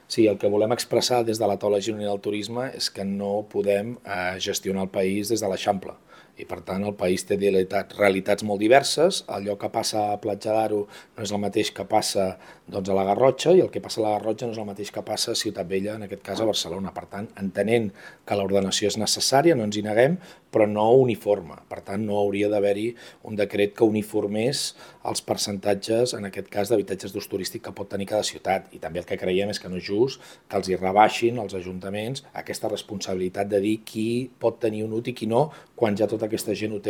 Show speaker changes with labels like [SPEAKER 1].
[SPEAKER 1] Sí, el que volem expressar des de la taula gironina del turisme és que no podem gestionar el país des de l'Eixample. I, per tant, el país té realitats molt diverses. Allò que passa a Platja d'Aro no és el mateix que passa a la Garrotxa, i el que passa a la Garrotxa no és el mateix que passa a Ciutat Vella, en aquest cas a Barcelona. Per tant, entenent que l'ordenació és necessària, no ens hi neguem, però no uniforme. Per tant, no hauria d'haver-hi un decret que uniformés els percentatges, en aquest cas, d'habitatges d'ús turístic que pot tenir cada ciutat. I també el que creiem és que no és just que els hi rebaixin als ajuntaments aquesta responsabilitat de dir qui pot tenir un UTI i qui no, quan ja tota aquesta gent ho té